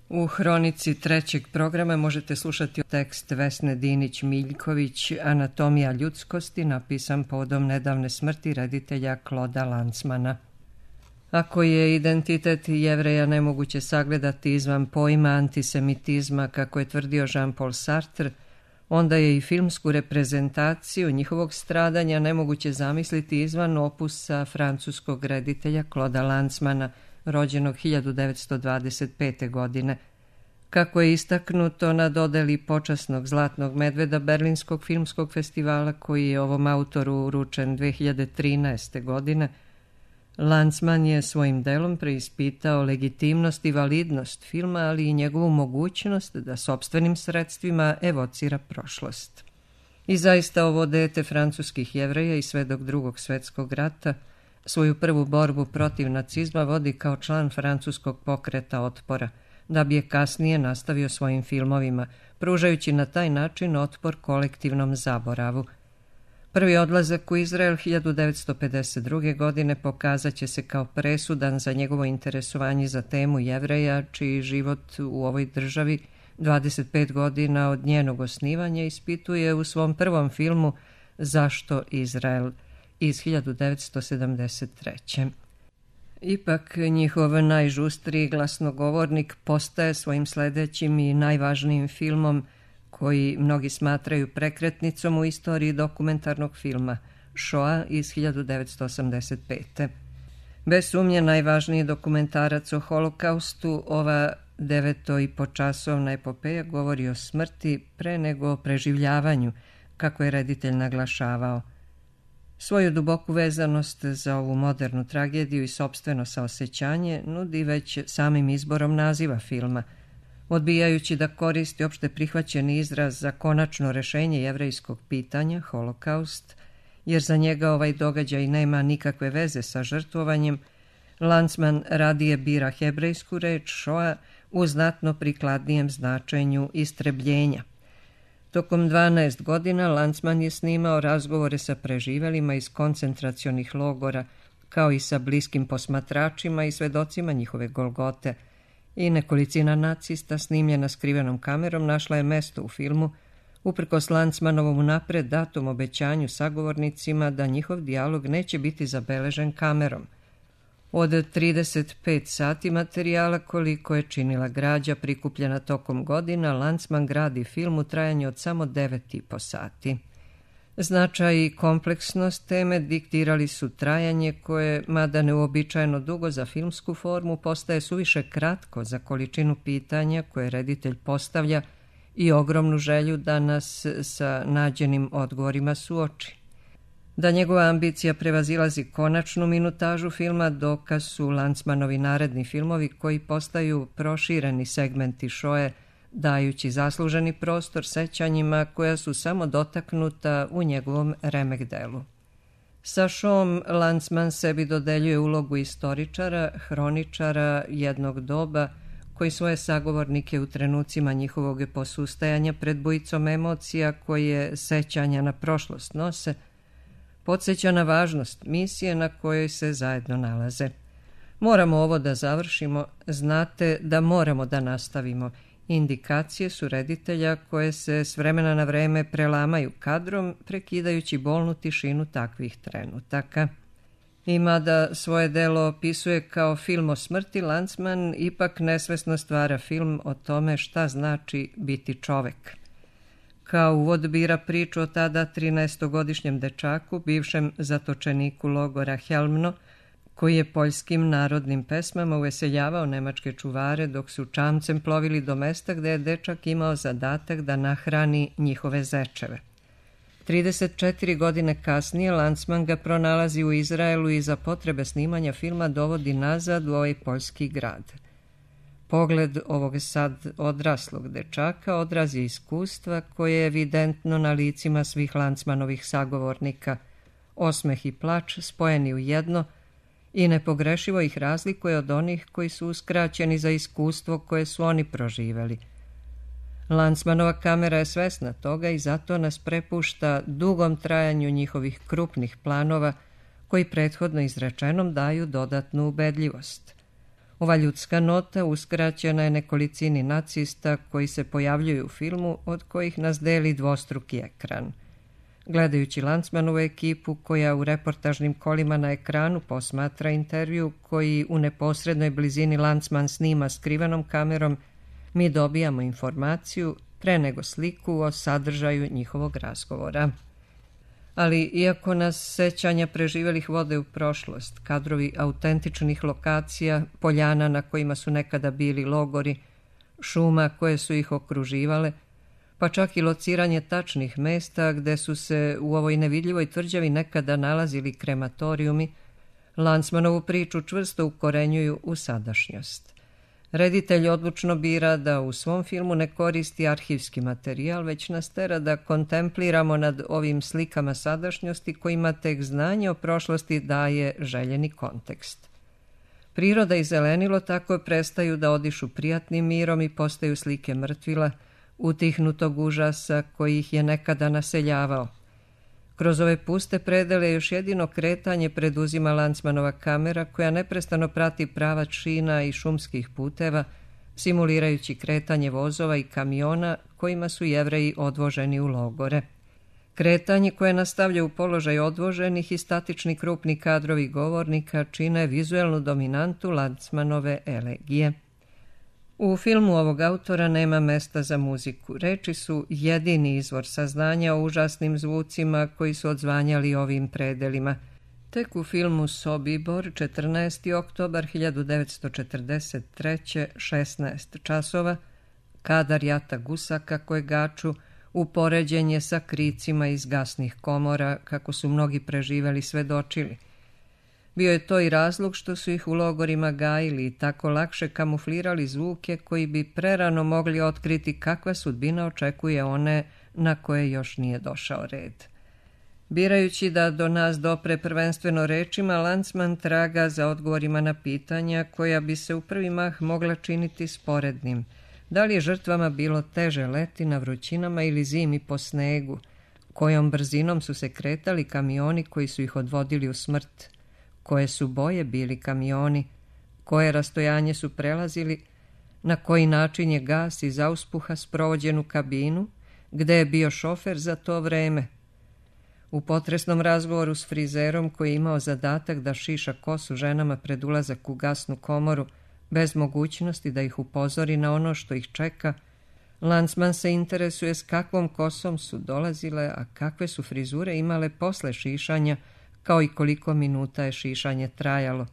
U hronici trećeg programa možete slušati tekst Vesne Dinić-Miljković Anatomija ljudskosti, napisan povodom nedavne smrti reditelja Kloda Lanzmana. Ako je identitet Jevreja nemoguće sagledati izvan pojma antisemitizma, kako je tvrdio Jean-Paul Sartre, onda je i filmsku reprezentaciju njihovog stradanja nemoguće zamisliti izvan opusa francuskog reditelja Kloda Lanzmana, rođenog 1925. godine. Kako je istaknuto na dodeli počasnog Zlatnog medveda Berlinskog filmskog festivala, koji je ovom autoru uručen 2013. godine, Lanzman je svojim delom preispitao legitimnost i validnost filma, ali i njegovu mogućnost da sopstvenim sredstvima evocira prošlost. I zaista ovo dete francuskih Jevreja i svedok Drugog svjetskog rata svoju prvu borbu protiv nacizma vodi kao član francuskog pokreta otpora, da bi je kasnije nastavio svojim filmovima, pružajući na taj način otpor kolektivnom zaboravu. Prvi odlazak u Izrael 1952. godine pokazat će se kao presudan za njegovo interesovanje za temu Jevreja, čiji život u ovoj državi 25 godina od njenog osnivanja ispituje u svom prvom filmu Zašto Izrael iz 1973. Ipak njihov najžustriji glasnogovornik postaje svojim sledećim i najvažnijim filmom, koji mnogi smatraju prekretnicom u istoriji dokumentarnog filma, Shoah iz 1985. Bez sumnje najvažniji dokumentarac o holokaustu, ova 9,5-časovna epopeja govori o smrti pre nego o preživljavanju, kako je reditelj naglašavao. Svoju duboku vezanost za ovu modernu tragediju i sopstveno saosećanje nudi već samim izborom naziva filma, odbijajući da koristi opšte prihvaćeni izraz za konačno rešenje jevrejskog pitanja, holokaust, jer za njega ovaj događaj nema nikakve veze sa žrtvovanjem. Lanzman radije bira hebrejsku reč Shoah u znatno prikladnijem značenju istrebljenja. Tokom 12 godina Lanzman je snimao razgovore sa preživelima iz koncentracionih logora, kao i sa bliskim posmatračima i svedocima njihove golgote, i nekolicina nacista snimljena skrivenom kamerom našla je mesto u filmu, uprkos Lanzmanovom unapred datom obećanju sagovornicima da njihov dijalog neće biti zabeležen kamerom. Od 35 sati materijala koliko je činila građa prikupljena tokom godina, Lanzman gradi film u trajanju od samo 9,5 sati. Značaj i kompleksnost teme diktirali su trajanje koje, mada neuobičajeno dugo za filmsku formu, postaje suviše kratko za količinu pitanja koje reditelj postavlja i ogromnu želju da nas sa nađenim odgovorima suoči. Da njegova ambicija prevazilazi konačnu minutažu filma dokaz su Lanzmanovi naredni filmovi koji postaju prošireni segmenti Shoah, dajući zasluženi prostor sećanjima koja su samo dotaknuta u njegovom remek delu. Sa Shoahom Lanzman sebi dodeljuje ulogu istoričara, hroničara jednog doba, koji svoje sagovornike u trenucima njihovog posustajanja pred bujicom emocija koje sećanja na prošlost nose, podsjeća na važnost misije na kojoj se zajedno nalaze. Moramo ovo da završimo, znate da moramo da nastavimo. Indikacije su reditelja koje se s vremena na vreme prelamaju kadrom, prekidajući bolnu tišinu takvih trenutaka. I mada svoje delo opisuje kao film o smrti, Lanzman ipak nesvesno stvara film o tome šta znači biti čovek. Kao uvod bira priču o tada 13-godišnjem dečaku, bivšem zatočeniku logora Helmno, koji je poljskim narodnim pesmama uveseljavao nemačke čuvare dok su čamcem plovili do mesta gde je dečak imao zadatak da nahrani njihove zečeve. 34 godine kasnije Lanzman ga pronalazi u Izraelu i za potrebe snimanja filma dovodi nazad u ovaj poljski grad. Pogled ovog sad odraslog dečaka odraz je iskustva koje je evidentno na licima svih Lanzmanovih sagovornika, osmeh i plač spojeni u jedno i nepogrešivo ih razlikuje od onih koji su uskraćeni za iskustvo koje su oni proživeli. Lanzmanova kamera je svesna toga i zato nas prepušta dugom trajanju njihovih krupnih planova koji prethodno izrečenom daju dodatnu ubedljivost. Ova ljudska nota uskraćena je nekolicini nacista koji se pojavljuju u filmu, od kojih nas deli dvostruki ekran. Gledajući Lanzmanovu ekipu koja u reportažnim kolima na ekranu posmatra intervju koji u neposrednoj blizini Lanzman snima skrivenom kamerom, mi dobijamo informaciju pre nego sliku o sadržaju njihovog razgovora. Ali iako nas sećanja preživelih vode u prošlost, kadrovi autentičnih lokacija, poljana na kojima su nekada bili logori, šuma koje su ih okruživale, pa čak i lociranje tačnih mesta gde su se u ovoj nevidljivoj tvrđavi nekada nalazili krematorijumi, Lanzmanovu priču čvrsto ukorenjuju u sadašnjost. Reditelj odlučno bira da u svom filmu ne koristi arhivski materijal, već nas tera da kontempliramo nad ovim slikama sadašnjosti kojima tek znanje o prošlosti daje željeni kontekst. Priroda i zelenilo tako prestaju da odišu prijatnim mirom i postaju slike mrtvila, utihnutog užasa koji ih je nekada naseljavao. Kroz ove puste predele još jedino kretanje preduzima Lanzmanova kamera koja neprestano prati pravac šina i šumskih puteva, simulirajući kretanje vozova i kamiona kojima su Jevreji odvoženi u logore. Kretanje koje nastavlja u položaj odvoženih i statični krupni kadrovi govornika čine vizuelnu dominantu Lanzmanove elegije. U filmu ovog autora nema mesta za muziku. Reči su jedini izvor saznanja o užasnim zvucima koji su odzvanjali ovim predelima. Tek u filmu Sobibor, 14. oktobar 1943. 16 časova, kadar jata gusaka koje gaču, upoređen je sa kricima iz gasnih komora, kako su mnogi preživeli svedočili. Bio je to i razlog što su ih u logorima gajili i tako lakše kamuflirali zvuke koji bi prerano mogli otkriti kakva sudbina očekuje one na koje još nije došao red. Birajući da do nas dopre prvenstveno rečima, Lanzman traga za odgovorima na pitanja koja bi se u prvi mah mogla činiti sporednim. Da li je žrtvama bilo teže leti na vrućinama ili zimi po snegu? Kojom brzinom su se kretali kamioni koji su ih odvodili u smrt? Koje su boje bili kamioni? Koje rastojanje su prelazili? Na koji način je gas iz auspuha sprovođen u kabinu? Gde je bio šofer za to vreme? U potresnom razgovoru s frizerom koji je imao zadatak da šiša kosu ženama pred ulazak u gasnu komoru, bez mogućnosti da ih upozori na ono što ih čeka, Lanzman se interesuje s kakvom kosom su dolazile, a kakve su frizure imale posle šišanja, kao i koliko minuta je šišanje trajalo.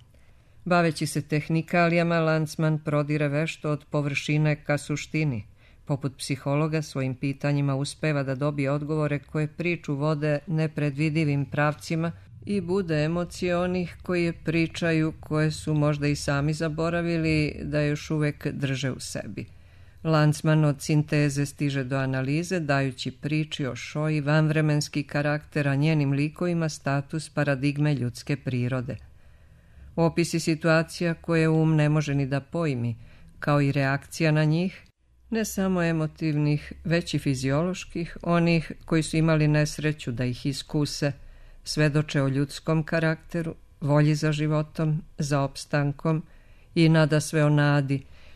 Baveći se tehnikalijama, Lanzman prodire vešto od površine ka suštini. Poput psihologa svojim pitanjima uspeva da dobije odgovore koje priču vode nepredvidivim pravcima i bude emocije onih koji pričaju, koje su možda i sami zaboravili da još uvek drže u sebi. Lanzman od sinteze stiže do analize, dajući priči o Šoji vanvremenski karakter, a njenim likovima status paradigme ljudske prirode. Opisi situacija koje um ne može ni da pojmi, kao i reakcija na njih, ne samo emotivnih, već i fizioloških, onih koji su imali nesreću da ih iskuse, svedoče o ljudskom karakteru, volji za životom, za opstankom i nadasve o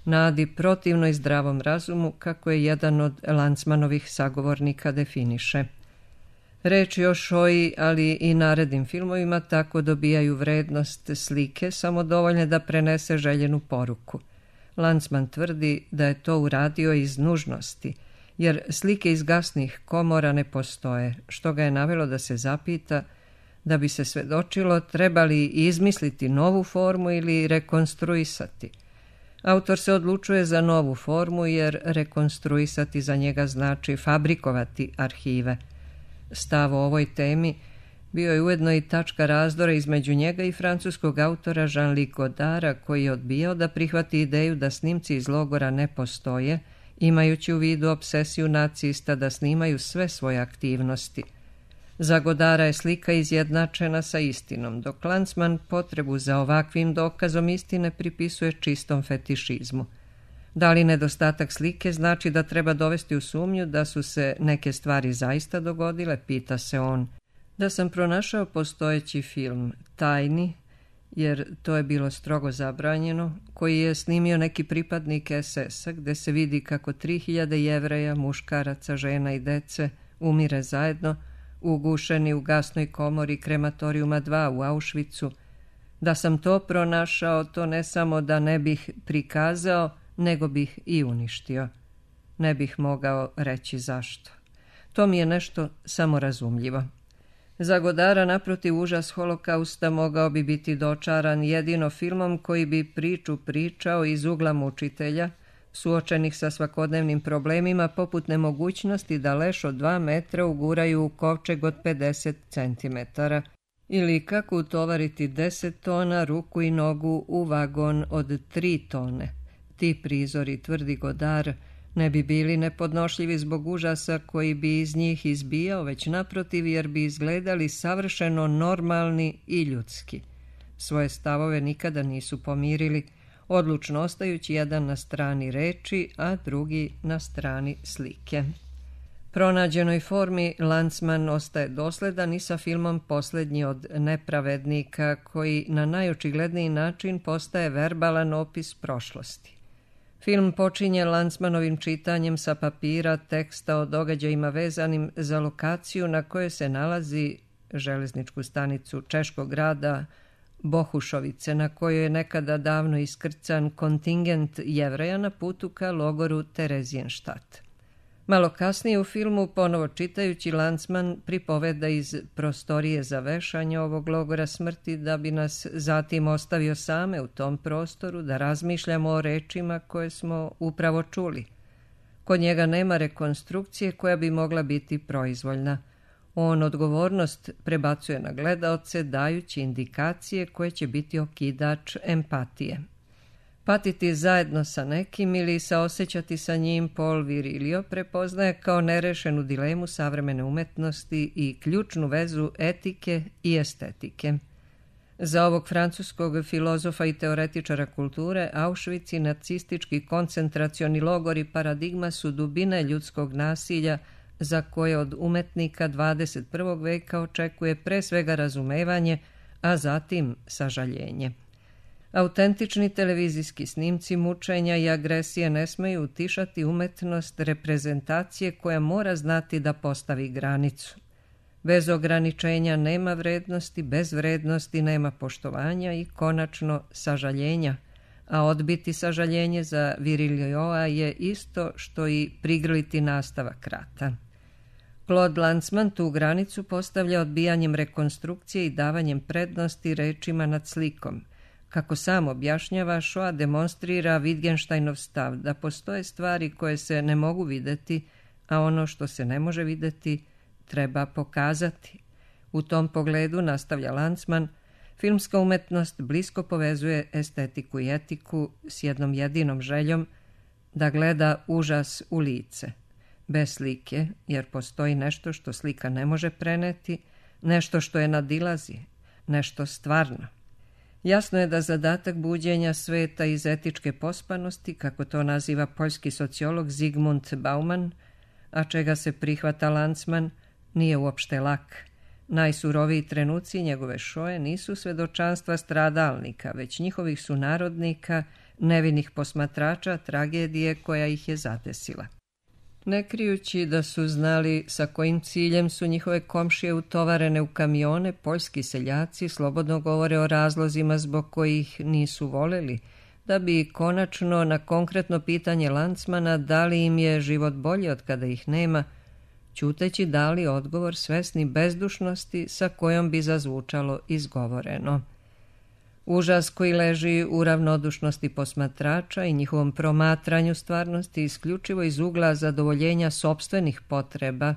nadi protivnoj zdravom razumu, kako je jedan od Lanzmanovih sagovornika definiše. Reči o Šoji, ali i narednim filmovima tako dobijaju vrednost slike, samo dovoljne da prenese željenu poruku. Lanzman tvrdi da je to uradio iz nužnosti, jer slike iz gasnih komora ne postoje, što ga je navelo da se zapita da bi se svedočilo treba li izmisliti novu formu ili rekonstruisati. Autor se odlučuje za novu formu jer rekonstruisati za njega znači fabrikovati arhive. Stav o ovoj temi bio je ujedno i tačka razdora između njega i francuskog autora Jean-Luc Godara, koji je odbijao da prihvati ideju da snimci iz logora ne postoje, imajući u vidu obsesiju nacista da snimaju sve svoje aktivnosti. Za Godara je slika izjednačena sa istinom, dok Lanzman potrebu za ovakvim dokazom istine pripisuje čistom fetišizmu. Da li nedostatak slike znači da treba dovesti u sumnju da su se neke stvari zaista dogodile, pita se on. Da sam pronašao postojeći film, tajni, jer to je bilo strogo zabranjeno, koji je snimio neki pripadnik SS-a, gde se vidi kako 3000 Jevreja, muškaraca, žena i dece umire zajedno, ugušeni u gasnoj komori krematorijuma 2 u Auschwitzu. Da sam to pronašao, to ne samo da ne bih prikazao, nego bih i uništio. Ne bih mogao reći zašto. To mi je nešto samorazumljivo. Za Godara, naprotiv, užas holokausta mogao bi biti dočaran jedino filmom koji bi priču pričao iz ugla mučitelja, suočenih sa svakodnevnim problemima poput nemogućnosti da leš od 2 metra uguraju u kovčeg od 50 centimetara, ili kako utovariti 10 tona ruku i nogu u vagon od 3 tone. Ti prizori, tvrdi Godar, ne bi bili nepodnošljivi zbog užasa koji bi iz njih izbijao, već naprotiv, jer bi izgledali savršeno normalni i ljudski. Svoje stavove nikada nisu pomirili, odlučno ostajući jedan na strani reči, a drugi na strani slike. Pronađenoj formi Lanzmann ostaje dosledan i sa filmom Posljednji od nepravednika, koji na najočigledniji način postaje verbalan opis prošlosti. Film počinje Lanzmannovim čitanjem sa papira teksta o događajima vezanim za lokaciju na kojoj se nalazi železničku stanicu češkog grada Bohušovice, na kojoj je nekada davno iskrcan kontingent Jevreja na putu ka logoru Terezijenštat. Malo kasnije u filmu, ponovo čitajući, Lanzmann pripoveda iz prostorije za vešanje ovog logora smrti, da bi nas zatim ostavio same u tom prostoru da razmišljamo o rečima koje smo upravo čuli. Kod njega nema rekonstrukcije koja bi mogla biti proizvoljna. On odgovornost prebacuje na gledaoce, dajući indikacije koje će biti okidač empatije. Patiti zajedno sa nekim ili saosećati sa njim Paul Virilio prepoznaje kao nerešenu dilemu savremene umetnosti i ključnu vezu etike i estetike. Za ovog francuskog filozofa i teoretičara kulture, Auschwitz i nacistički koncentracioni logori paradigma su dubine ljudskog nasilja za koje od umetnika 21. veka očekuje pre svega razumevanje, a zatim sažaljenje. Autentični televizijski snimci mučenja i agresije ne smeju utišati umetnost reprezentacije koja mora znati da postavi granicu. Bez ograničenja nema vrednosti, bez vrednosti nema poštovanja i konačno sažaljenja, a odbiti sažaljenje za Virilioa je isto što i prigrliti nastavak rata. Claude Lanzmann tu granicu postavlja odbijanjem rekonstrukcije i davanjem prednosti rečima nad slikom. Kako sam objašnjava, Shoah demonstrira Wittgensteinov stav da postoje stvari koje se ne mogu videti, a ono što se ne može videti treba pokazati. U tom pogledu, nastavlja Lanzmann, filmska umetnost blisko povezuje estetiku i etiku s jednom jedinom željom da gleda užas u lice. Bez slike, jer postoji nešto što slika ne može preneti, nešto što je nadilazi, nešto stvarno. Jasno je da zadatak buđenja sveta iz etičke pospanosti, kako to naziva poljski sociolog Zygmunt Bauman, a čega se prihvata Lanzmann, nije uopšte lak. Najsuroviji trenuci njegove Shoe nisu svedočanstva stradalnika, već njihovih sunarodnika, nevinih posmatrača tragedije koja ih je zadesila. Ne krijući da su znali sa kojim ciljem su njihove komšije utovarene u kamione, poljski seljaci slobodno govore o razlozima zbog kojih nisu voleli, da bi konačno na konkretno pitanje Lanzmana da li im je život bolji od kada ih nema, ćuteći dali odgovor svesni bezdušnosti sa kojom bi zazvučalo izgovoreno. Užas koji leži u ravnodušnosti posmatrača i njihovom promatranju stvarnosti isključivo iz ugla zadovoljenja sopstvenih potreba,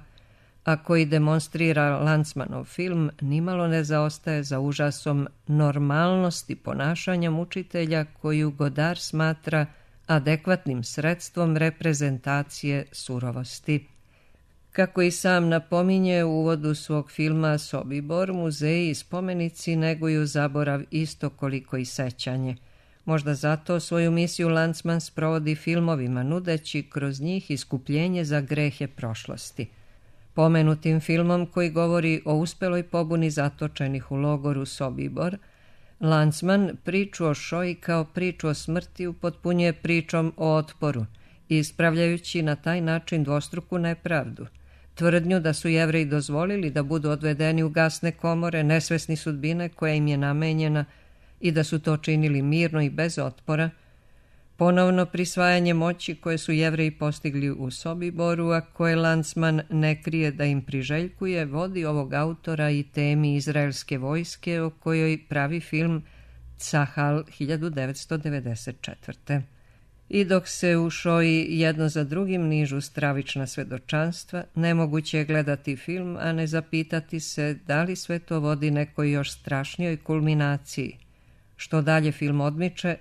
a koji demonstrira Lanzmannov film, nimalo ne zaostaje za užasom normalnosti ponašanja mučitelja koju Godard smatra adekvatnim sredstvom reprezentacije surovosti. Kako i sam napominje u uvodu svog filma Sobibor, muzeji i spomenici neguju zaborav isto koliko i sećanje. Možda zato svoju misiju Lanzmann sprovodi filmovima, nudeći kroz njih iskupljenje za grehe prošlosti. Pomenutim filmom koji govori o uspeloj pobuni zatočenih u logoru Sobibor, Landsman priču o Šoji kao priču o smrti upotpunjuje pričom o otporu, ispravljajući na taj način dvostruku nepravdu. Tvrdnju da su Jevreji dozvolili da budu odvedeni u gasne komore, nesvesni sudbine koja im je namenjena i da su to činili mirno i bez otpora, ponovno prisvajanje moći koje su Jevreji postigli u Sobiboru, a koje Landsman ne krije da im priželjkuje, vodi ovog autora i temi izraelske vojske o kojoj pravi film Cahal 1994. I dok se u Šoji jedno za drugim nižu stravična svedočanstva, nemoguće je gledati film, a ne zapitati se da li sve to vodi nekoj još strašnijoj kulminaciji. Što dalje film odmiče,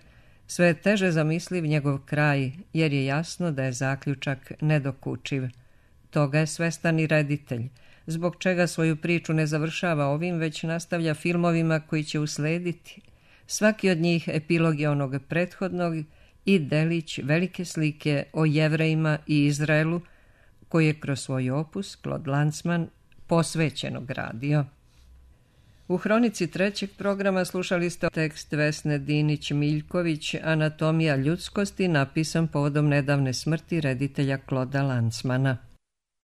sve je teže zamisliv njegov kraj, jer je jasno da je zaključak nedokučiv. Toga je svestan i reditelj, zbog čega svoju priču ne završava ovim, već nastavlja filmovima koji će uslediti. Svaki od njih epilog je onog prethodnog i delić velike slike o Jevrejima i Izraelu, koji je kroz svoj opus Claude Landsman posvećeno gradio. U hronici trećeg programa slušali ste tekst Vesne Dinić-Miljković Anatomija ljudskosti, napisan povodom nedavne smrti reditelja Claudea Landsmana.